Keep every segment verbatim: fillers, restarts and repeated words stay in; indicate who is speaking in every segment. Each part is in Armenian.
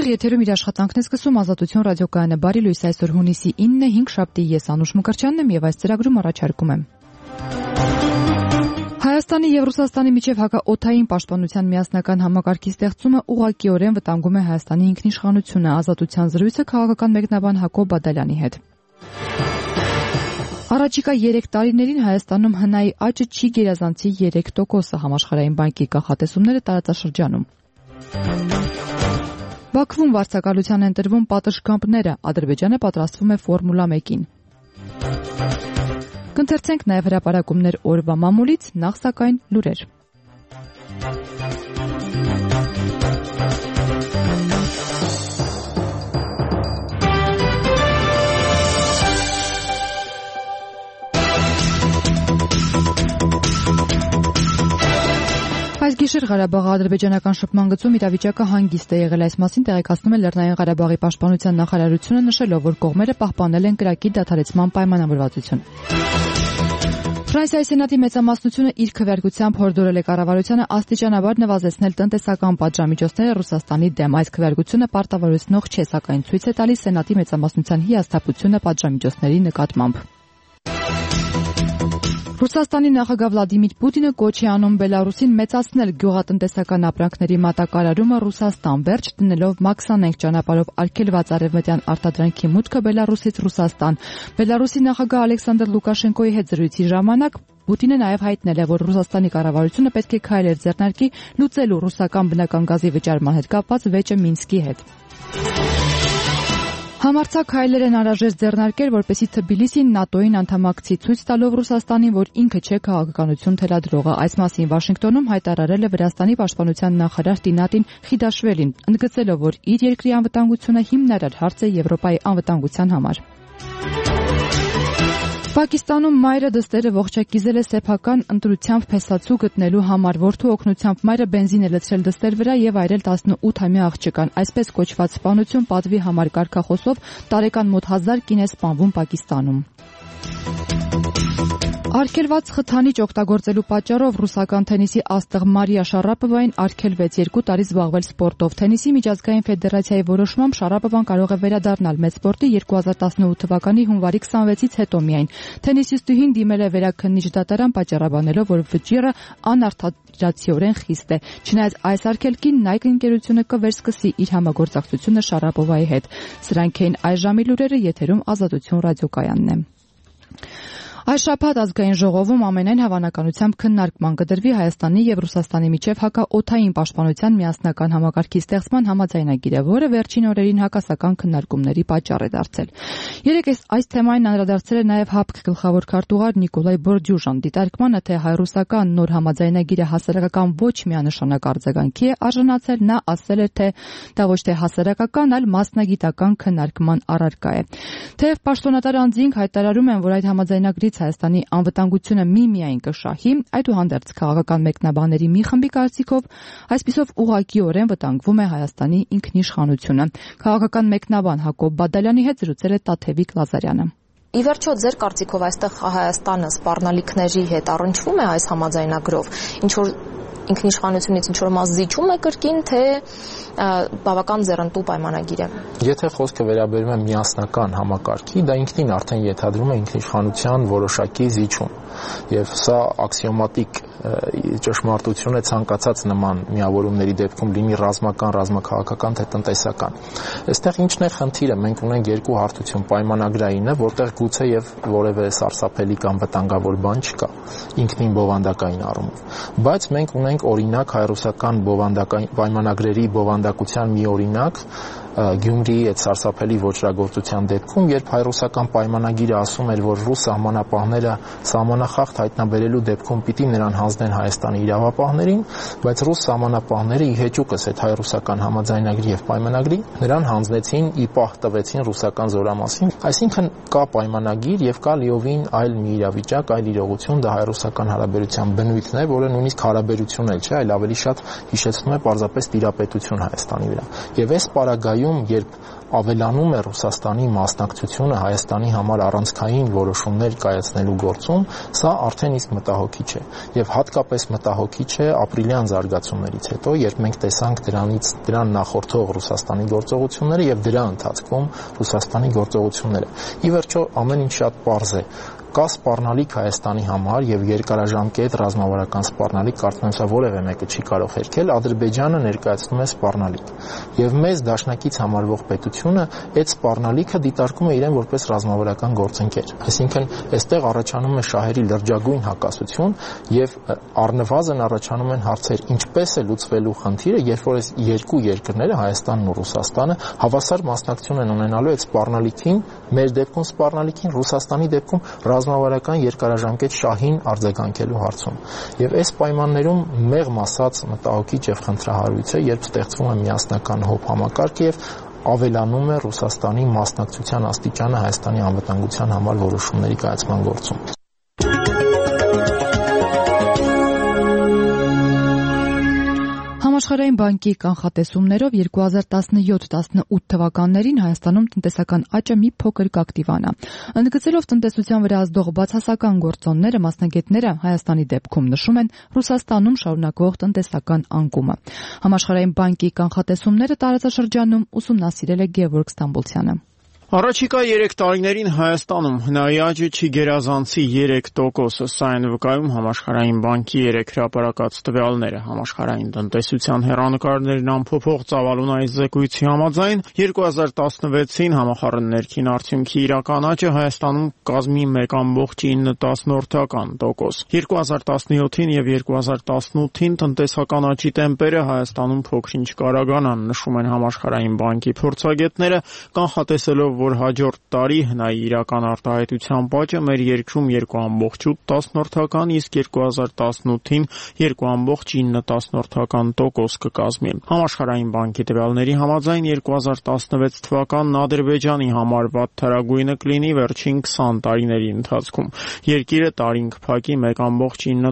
Speaker 1: Եթերում իր աշխատանքն է սկսում Ազատություն ռադիոկայանը։ Բարի լույս, այսօր հունիսի ինն է, հինգշաբթի, ես Անուշ Մկրտչյանն եմ եւ այս ծրագրում առաջարկում եմ Հայաստանի եւ Ռուսաստանի միջև հակաօդային պաշտպանության միասնական համակարգի ստեղծումը ուղղակիորեն վտանգում է Հայաստանի ինքնիշխանությունը։ Ազատության զրույցը քաղաքական մեկնաբան Հակոբ Բադալյանի հետ։ Առաջիկա երեք տարիներին Հայաստանում հնայի աճը չի գերազանցի երեք տոկոսը, Համաշխարհային բանկի կանխատեսումները տարածաշրջանում։ Բաքվում վարձակալության են տրվում պատշգամբները, Ադրբեջանը պատրաստվում է Ֆորմուլա մեկին։ Կընթերցենք նաև հրապարակումներ օրվա մամուլից, նախ սակայն լուրեր։ Այս գիշեր Ղարաբաղի ադրբեջանական շփման գծում իրավիճակը հանգիստ է եղել, այս մասին տեղեկացնում է Լեռնային Ղարաբաղի պաշտպանության նախարարությունը, նշելով, որ կողմերը պահպանել են կրակի դադարեցման պայմանավորվածություն։ Ֆրանսիայի սենատի մեծամասնությունը իր քվեարկությամբ հորդորել է կառավարությանը աստիճանաբար նվազեցնել տնտեսական պատժամիջոցները Ռուսաստանի դեմ։ Այս քվեարկությունը պարտավորեցնող չէ, սակայն ցույց է տալիս սենատի մեծամասնության հիասթափությունը պատժամիջոցների նկատմամբ։ Ռուսաստանի նախագահ Վլադիմիր Պուտինը կոչ է անում Բելարուսին մեծացնել գյուղատնտեսական ապրանքների մատակարարումը Ռուսաստան, վերջ դնելով մաքսանենգ ճանապարհով արգելված արևմտյան արտադրանքի մուտքը Բելարուսից Ռուսաստան։ Բելարուսի նախագահ Ալեքսանդր Լուկաշենկոյի հետ զրույցի ժամանակ Պուտինն նաև հայտնել է, որ Ռուսաստանի կառավարությունը պետք է քայլեր ձեռնարկի լուծելու ռուսական բնական գազի վճարման հետ կապված վեճը Մինսկի հետ։ Համարձակ հայլեր են անհրաժեշտ ձեռնարկել, որպեսզի Թբիլիսին ՆԱՏՕ-ին անդամակցի, ցույց տալով Ռուսաստանին, որ ինքը չէ քաղաքականություն թելադրողը։ Այս մասին Վաշինգտոնում հայտարարել է Վրաստանի պաշտպանության նախարար Տինատին Խիդաշվելին, ընդգծելով, որ իր երկրի անվտանգությունը հիմնարար հարց է Եվրոպայի անվտանգության համար։ Պակիստանում մայրը դստերը ողջակիզել է սեփական ընտրությամբ փեսացու գտնելու համար, որդու օգնությամբ մայրը բենզին է լցրել դստեր վրա եւ այրել տասնութամյա աղջկան։ Այսպես կոչված սպանություն պատվի համար կարգախոսով տարեկան մոտ հազար կին է սպանվում Պակիստանում։ Արգելված խթանիչ օգտագործելու պատճառով ռուսական թենիսի աստղ Մարիա Շարապովային արգելվեց երկու տարի զբաղվել սպորտով։ Թենիսի միջազգային ֆեդերացիայի որոշմամբ Շարապովան կարող է վերադառնալ մեծ սպորտի երկու հազար տասնութ թվականի հունվարի քսանվեցից հետո միայն։ Թենիսիստուհին դիմել է վերաքննիչ դատարան պատճառաբանելով, որ վճիռը անարդարացիորեն խիստ է։ Չնայած այս արգելքին Nike ընկերությունը կվերսկսի իր համագործակցությունը Շարապովայի հետ։ Սրանք էին այս ժամի լուրերը, եթերում Ազատություն ռադիոկայանն է։ Այս շաբաթ ազգային ժողովում ամենայն հավանականությամբ քննարկման կդրվի Հայաստանի եւ Ռուսաստանի միջև հակաօդային պաշտպանության միասնական համակարգի ստեղծման համաձայնագիրը, որը վերջին օրերին հակասական քննարկումների պատճառ է դարձել։ Երեկ այս թեմային անդրադարձել է նաեւ ՀԱՊԿ գլխավոր քարտուղար Նիկոլայ Բորդյուժան, դիտարկմանը, թե հայ-ռուսական նոր համաձայնագիրը հասարակական ոչ միանշանակ արձագանքի է արժանացել, նա ասել է, թե դա ոչ թե հասարակական, այլ մասնագիտական քննարկման առարկա է։ Թեև պաշտոնատար անձինք հայտարարում են, որ այդ համաձայնագրից Հայաստանի անվտանգությունը միմիայն կշահի, այդուհանդերձ քաղաքական մեկնաբանների մի խմբի կարծիքով այսպիսով ուղղակիորեն վտանգվում է Հայաստանի ինքնիշխանությունը։ Քաղաքական մեկնաբան Հակոբ Բադալյանի հետ զրուցել է Տաթևիկ Լազարյանը։
Speaker 2: Ի վերջո, ձեր կարծիքով այստեղ Հայաստանը սպառնալիքների հետ առնչվում է այս համաձայնագրով, ինչ որ ինքնիշխանությունից ինչ որ մաս զիջում է կրկին, թե բավական ձեռնտու պայմանագիր է։
Speaker 3: Եթե խոսքը վերաբերում է միասնական համակարգի, դա ինքնին արդեն ենթադրում է ինքնիշխանության որոշակի զիջում, եւ սա աքսիոմատիկ ճշմարտություն է ցանկացած նման միավորումների դեպքում, լինի ռազմական, ռազմաքաղաքական թե տնտեսական։ Այստեղ ինչն է խնդիրը, մենք ունենք երկու հարթություն, պայմանագրայինը, որտեղ գուցե եւ որևէ սարսափելի կամ վտանգավոր բան չկա, ինքնին բովանդակային առումով, բայց մենք ունենք օրինակ հայ-ռուսական բովանդակային պայմանագրերի բովանդակության մի օրինակ Գյումրիի այդ սարսափելի ոճրագործության դեպքում, երբ հայ-ռուսական պայմանագիրը ասում էր, որ ռուս սահմանապահները սահմանախախտ հայտնաբերելու դեպքում պիտի նրան հանձնեն Հայաստանի իրավապահներին, բայց ռուս սահմանապահները ի հեճուկս այդ հայ-ռուսական համաձայնագրի եւ պայմանագրի նրան հանձնեցին, ի պահ տվեցին ռուսական զորամասին։ Այսինքն կա պայմանագիր եւ կա լիովին այլ մի իրավիճակ, այլ իրողություն, դա հայ-ռուսական հարաբերության բնույթն է, որը նույնիսկ հարաբերություն էլ չէ, այլ ավելի շատ հիշեցնում է պարզապես տիրապետություն Հայաստանի վրա։ Եվ այս պարագայում երբ ավելանում է Ռուսաստանի մասնակցությունը Հայաստանի համար առանցքային որոշումներ կայացնելու գործում, սա արդեն իսկ մտահոգիչ է եւ հատկապես մտահոգիչ է ապրիլյան զարգացումներից հետո, երբ մենք տեսանք դրանից դրան նախորդող Ռուսաստանի գործողությունները եւ դրա ընթացքում Ռուսաստանի գործողությունները։ Ի վերջո ամեն ինչ շատ պարզ է։ Կա սպառնալիք Հայաստանի համար եւ երկարաժամկետ ռազմավարական սպառնալիք, կարծում եմ սա որևէ մեկը չի կարող հերքել, Ադրբեջանը ներկայացնում է սպառնալիք։ Եվ մեզ դաշնակից համարվող պետությունը այդ սպառնալիքը դիտարկում է իրեն որպես ռազմավարական գործընկեր։ Այսինքն, այստեղ առաջանում է շահերի լրջագույն հակասություն եւ առնվազն առաջանում են հարցեր, ինչպես է լուծվելու խնդիրը, երբ որ այս երկու երկրները, Հայաստանն ու Ռուսաստանը, հավասար մասնակցություն են ունենալու այդ սպառնալիքին, մեր դեպքում սպառնալիքին, Ռուսաստանի դեպքում ռազմավարական երկարաժամկետ շահին արձագանքելու հարցում։ Եվ այս պայմաններում մեղմ ասած մտահոգիչ եւ խնդրահարույց է, երբ ստեղծվում է միասնական հոբ համակարգ եւ ավելանում է Ռուսաստանի մասնակցության աստիճանը Հայաստանի անվտանգության համար որոշումների կայացման գործում։
Speaker 1: Համաշխարհային բանկի կանխատեսումներով երկու հազար տասնյոթ տասնութ թվականներին Հայաստանում տնտեսական աճը մի փոքր կակտիվանա։ Ընդգծելով տնտեսության վրա ազդող բացասական գործոնները, մասնագետները Հայաստանի դեպքում նշում են Ռուսաստանում շարունակվող տնտեսական անկումը։ Համաշխարհային բանկի կանխատեսումները տարածաշրջանում ուսումնասիրել է Գևորգ Ստամբոլցյանը։
Speaker 4: Առաջիկա երեք տարիներին Հայաստանում հնայի աճը չի գերազանցի երեք տոկոսը, սա են վկայում Համաշխարհային բանկի երեք հրապարակած տվյալները։ Համաշխարհային տնտեսության հեռանկարներն ամփոփող ծավալուն զեկույցի համաձայն երկու հազար տասնվեցին համախառն ներքին արդյունքի իրական աճը Հայաստանում կազմի մեկ կόμma ինը տոկոս։ երկու հազար տասնյոթին եւ երկու հազար տասնութին տնտեսական աճի տեմպերը Հայաստանում փոքրինչ կարագանան, նշում են Համաշխարհային բանկի փորձագետները, կանխատեսելով որ հաջորդ տարի հնայի իրական արտահայտության աճը մեր երկրում երկու կόμma օգ, իսկ երկու հազար տասնութին երկու կόμma ինը տոկոս կկազմի։ Համաշխարհային բանկի տվյալների համաձայն երկու հազար տասնվեց թվականն Ադրբեջանի համար վատթարագույնը կլինի վերջին քսան տարիների ընթացքում։ Երկիրը տարին կփակի մեկ կόμma ինը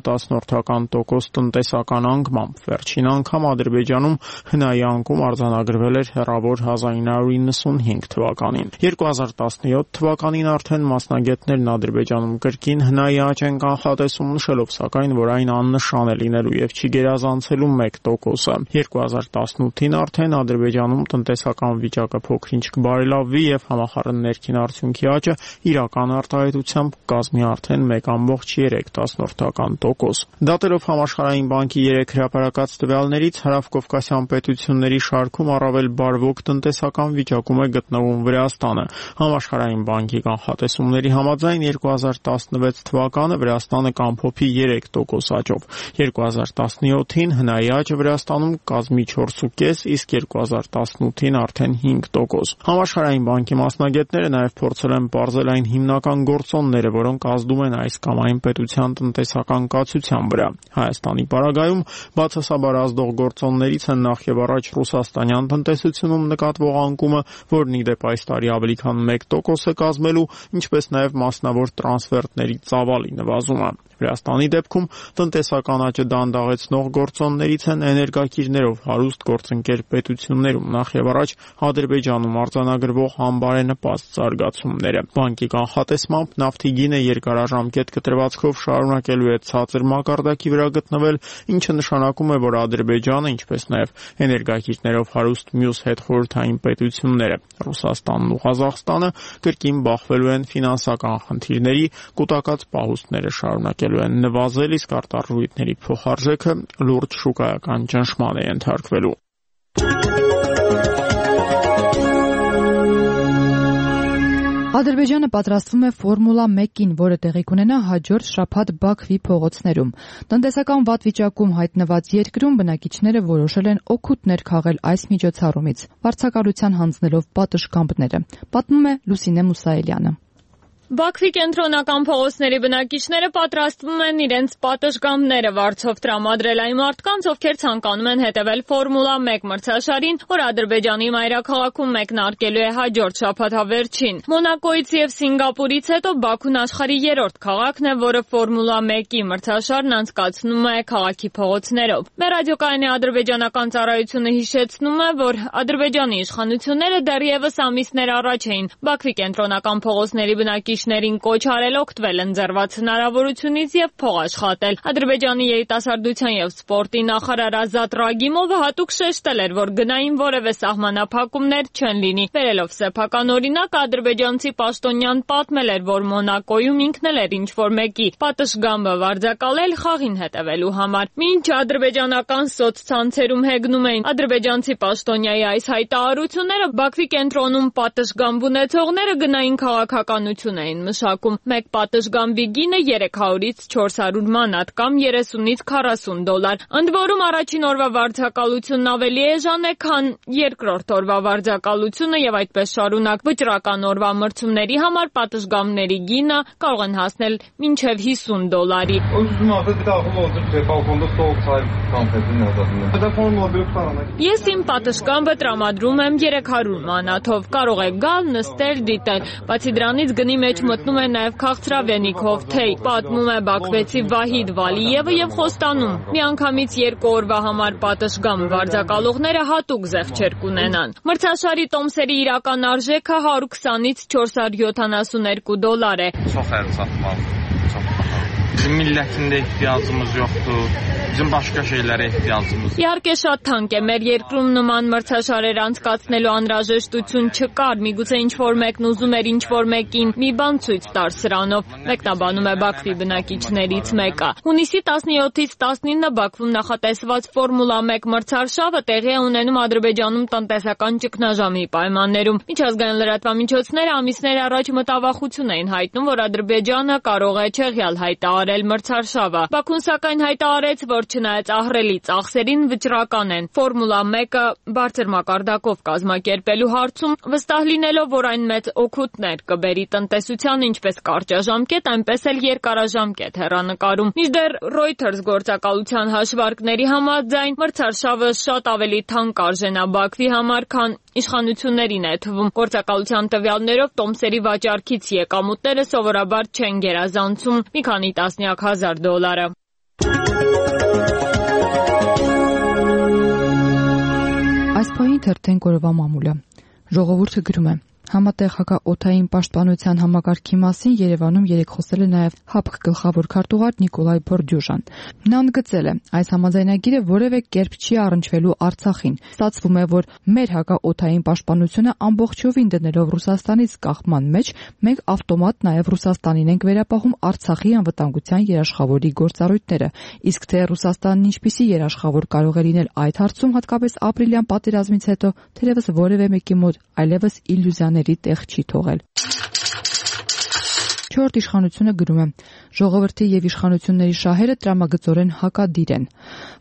Speaker 4: տոկոս տնտեսական անկմամբ։ Վերջին անգամ Ադրբեջանում հնայի անկում արձանագրվել էր հեռավոր հազար ինը հարյուր իննսունհինգ թվականին։ երկու հազար տասնյոթ թվականին արդեն մասնագետներն Ադրբեջանում կրկին հնայի աճ են կանխատեսում, նշելով սակայն, որ այն աննշան է լինելու եւ չի գերազանցելու մեկ տոկոսը։ երկու հազար տասնութին արդեն Ադրբեջանում տնտեսական վիճակը փոքրինչ կբարելավվի եւ համախառն ներքին արդյունքի աճը իրական արտահայտությամբ կազմի արդեն մեկ կόμma երեք տոկոս։ Դատելով Համաշխարհային բանկի երեք հրապարակած տվյալներից, հարավկովկասյան պետությունների շարքում առավել բարվոք տնտեսական վիճակում է գտնվում Վրաստանը։ Համաշխարհային բանկի կանխատեսումների համաձայն երկու հազար տասնվեց թվականը Վրաստանը կամփոփի երեք տոկոս աճով։ երկու հազար տասնյոթին հնայի աճը Վրաստանում կազմի չորս կόμma պենս, իսկ երկու հազար տասնութին արդեն հինգ տոկոս։ Համաշխարհային բանկի մասնագետները նաև փորձել են պարզել այն հիմնական գործոնները, որոնք ազդում են այս կամ այն պետության տնտեսական կացության վրա։ Հայաստանի պարագայում բացասաբար ազդող գործոններից են նախ եւ առաջ ռուսաստանյան տնտեսությունում նկատվող անկումը, որն ի դեպ այս տարի ավելի քան մեկ տոկոս է կազմելու, ինչպես նաև մասնավոր տրանսֆերտների ծավալի նվազումը։ Վրաստանի դեպքում տնտեսական աճը դանդաղեցնող գործոններից են էներգակիրներով հարուստ գործընկեր պետություններում, նախ եւ առաջ Ադրբեջանում արձանագրվող անբարենպաստ զարգացումները։ Բանկի կանխատեսմամբ նավթի գինը երկարաժամկետ կտրվածքով շարունակելու է ցածր մակարդակի վրա գտնվել, ինչը նշանակում է, որ Ադրբեջանը, ինչպես նաև էներգակիրներով հարուստ մյուս հետխորհրդային պետությունները, Ռուսաստանն ու Ղազախստանը, կրկին բախվելու են ֆինանսական խնդիրների, կուտակած պահուստները շարունակելու են նվազել, իսկ արտարժույթների փոխարժեքը լուրջ շուկայական ճնշման է ենթարկվելու։
Speaker 1: Ադրբեջանը պատրաստվում է Ֆորմուլա մեկին, որը տեղի կունենա հաջորդ շաբաթ Բաքվի փողոցներում։ Տնտեսական վատ վիճակում հայտնված երկրում բնակիչները որոշել են օգուտներ քաղել այս միջոցառումից, վարձակալության հանձնելով պատշգամբները, պատմում է Լուսինե Մուսայելյանը։
Speaker 5: Բաքվի կենտրոնական փողոցների բնակիչները պատրաստվում են իրենց պատշգամբները վարձով տրամադրել այն մարդկանց, ովքեր ցանկանում են հետևել Ֆորմուլա մեկ մրցաշարին, որ Ադրբեջանի մայրաքաղաքում մեկնարկելու է հաջորդ շաբաթավերջին։ Մոնակոից եւ Սինգապուրից հետո Բաքուն աշխարհի երրորդ քաղաքն է, որը Ֆորմուլա մեկի մրցաշարն անցկացնում է քաղաքի փողոցներով։ Մեր ռադիոկայանի ադրբեջանական ծառայությունը հիշեցնում է, որ Ադրբեջանի իշխանությունները դեռևս ամիսներ առաջ էին Բաքվի կենտրոնական փողոցների բնակիչներին կոչ արել օգտվել ընձեռված հնարավորությունից եւ փող աշխատել։ Ադրբեջանի երիտասարդության եւ սպորտի նախարար Ազատ Ռագիմովը հատուկ շեշտել էր, որ գնային որևէ սահմանափակումներ չեն լինի։ Վերելով սեփական օրինակ, ադրբեջանցի պաշտոնյան պատմել էր, որ Մոնակոյում ինքն էլ էր ինչ-որ մեկի պատշգամբը վարձակալել խաղին հետևելու համար։ Մինչ ադրբեջանական սոցցանցերում հեգնում էին ադրբեջանցի պաշտոնյայի այս հայտարարությունները, Բաքվի կենտրոնում պատշգամբ ունեցողները գնային քաղաքականություն էին մշակում։ Մեկ պատշգամբի գինը երեք հարյուրից չորս հարյուր մանատ կամ երեսունից քառասուն դոլար։ Ընդ որում առաջին օրվա վարձակալությունն ավելի էժան է, քան երկրորդ օրվա վարձակալությունը եւ այդպես շարունակ։ Վճռական օրվա մրցումների համար պատշգամբների գինը կարող են հասնել մինչեւ հիսուն դոլարի։ Ես իմ պատշգամբը տրամադրում եմ երեք հարյուր մանաթով։ Կարող եք գալ, նստել, դիտել։ Բացի դրանից գնի մեջ մտնում է նաև քաղցրավենիքով թեյ, պատմում է բաքվեցի Վահիդ Վալիևը եւ խոստանում։ Միանգամից երկու օրվա համար պատշգամբ վարձակալողները հատուկ զեղչեր կունենան։ Մրցաշարի տոմսերի իրական արժեքը հարյուր քսանից չորս հարյուր յոթանասունհինգ դոլար է։
Speaker 6: Bizim millətində ehtiyacımız yoxdur. Bizim başqa şeylərə ehtiyacımız.
Speaker 5: Իհարկե շատ թանկ է, մեր երկրում նման մրցաշարեր անցկացնելու անհրաժեշտություն չկար, միգուցե ինչ-որ մեկն ուզում էր ինչ-որ մեկին մի բան ցույց տար սրանով, մեկնաբանում է Բաքվի բնակիչներից մեկը։ Հունիսի տասնյոթից տասնինը Բաքվում նախատեսված Ֆորմուլա մեկ մրցարշավը տեղի է ունենում Ադրբեջանում տնտեսական ճգնաժամի պայմաններում։ Միջազգային լրատվամիջոցները ամիսներ առաջ մտավախություն էին հայտնում, որ Ադրբեջանը կարող է չեղյալ հայտարարել մրցարշավը։ Բաքուն սակայն հայտարարեց, որ չնայած ահռելի ծախսերին վճռական են Ֆորմուլա մեկը բարձր մակարդակով կազմակերպելու հարցում, վստահ լինելով, որ այն մեծ օգուտներ կբերի տնտեսությանը ինչպես կարճաժամկետ, այնպես էլ երկարաժամկետ հեռանկարում։ Մինչդեռ Reuters գործակալության հաշվարկների համաձայն մրցարշավը շատ ավելի թանկ արժենա Բաքվի համար, քան իշխանություններին է թվում։ Գործակալության տվյալներով տոմսերի վաճառքից եկամուտները սովորաբար չեն գերազանցում մի քանի տասնյակ հազար դոլարը։
Speaker 1: Այս պահին թերթենք օրվա մամուլը։ Ժողովուրդը գրում է. Համատեղ հակաօդային պաշտպանության համակարգի մասին Երևանում երեկ խոսել է նաև ՀԱՊԿ գլխավոր քարտուղար Նիկոլայ Բորդյուժան։ Նա ընդգծել է, այս համաձայնագիրը որևէ կերպ չի առնչվելու Արցախին։ Ստացվում է, որ մեր հակաօդային պաշտպանությունը ամբողջովին դնելով Ռուսաստանից կախման մեջ, մենք ավտոմատ նաև Ռուսաստանին ենք վերապահում Արցախի անվտանգության երաշխավորի գործառույթները։ Իսկ թե Ռուսաստանն ինչպիսի երաշխավոր կարող է լինել այդ հարցում, հատկապես ապրիլյան պատերազմից հետո, թերևս որևէ մեկի մոտ այլևս իլյուզիաների տեղ չի թողել։ Չորրորդ իշխանությունը գրում է. ժողովրդի եւ իշխանությունների շահերը տրամագծորեն հակադիր են։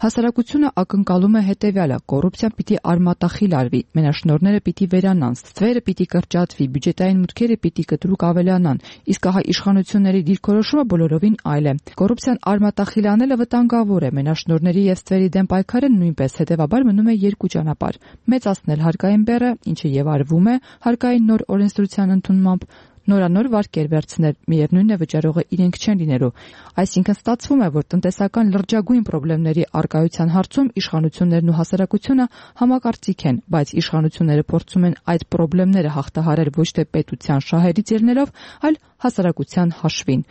Speaker 1: Հասարակությունը ակնկալում է հետեւյալը. կոռուպցիան պիտի արմատախիլ արվի, մենաշնորհները պիտի վերանան, ստվերը պիտի կրճատվի, բյուջետային մուտքերը պիտի կտրուկ ավելանան, իսկ ահա իշխանությունների դիրքորոշումը բոլորովին այլ է։ Կոռուպցիան արմատախիլ անելը վտանգավոր է, մենաշնորհների եւ ստվերի դեմ պայքարը նույնպես, հետեւաբար մնում է երկու ճանապարհ՝ մեծացնել հարկային բեռը, ինչը եւ արվում է հարկային նոր օրենսդրության ընդունմամբ, նորանոր վարկեր վերցնել, միևնույնն է վճարողը իրենք չեն լինելու։ Այսինքն ստացվում է, որ տնտեսական լրջագույն խնդիրների առկայության հարցում իշխանություններն ու հասարակությունը համակարծիք են, բայց իշխանությունները փորձում են այդ խնդիրները հաղթահարել ոչ թե պետության շահերից ելնելով, այլ հասարակության հաշվին։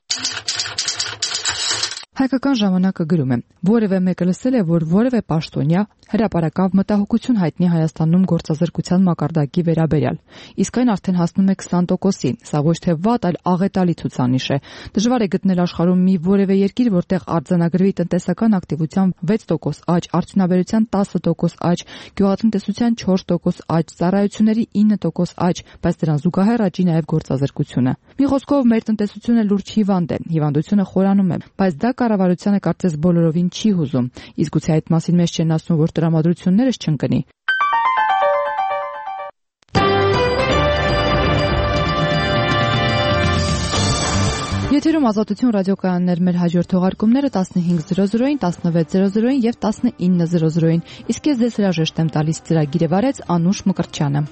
Speaker 1: Հայկական ժամանակը գրում է. որևէ մեկը լսել է, որ որևէ պաշտոնյա հրապարակավ մտահոգություն հայտնի Հայաստանում գործազրկության մակարդակի վերաբերյալ։ Իսկ այն արդեն հասնում է քսան տոկոսի։ Սա ոչ թե վատ, այլ աղետալի ցուցանիշ է։ Դժվար է գտնել աշխարհում մի որևէ երկիր, որտեղ արձանագրվի տնտեսական ակտիվության վեց տոկոս աճ, արդյունաբերության տասը տոկոս աճ, գյուղատնտեսության չորս տոկոս աճ, ծառայությունների ինը տոկոս աճ, բայց դրան զուգահեռ աճի նաև գործազրկությունը։ Մի խոսքով մեր տնտեսությունը լուրջ հիվանդ է, հիվանդությունը խորանում է, բայց դա կառավարությունը կարծես բոլորովին չի հուզում։ Իսկ գուցե այդ մասին մեզ չեն ասում, որ տրամադրություններս չընկնի։ Եթերում Ազատություն ռադիոկայաններ, մեր հաջորդ թողարկումները տասնհինգ զրո զրոին, տասնվեց զրո զրոին եւ տասնինը զրո զրոին։ Իսկ ես ձեզ հրաժեշտ եմ տալիս, ծրագիրը վարեց Անուշ Մկրտչյանը։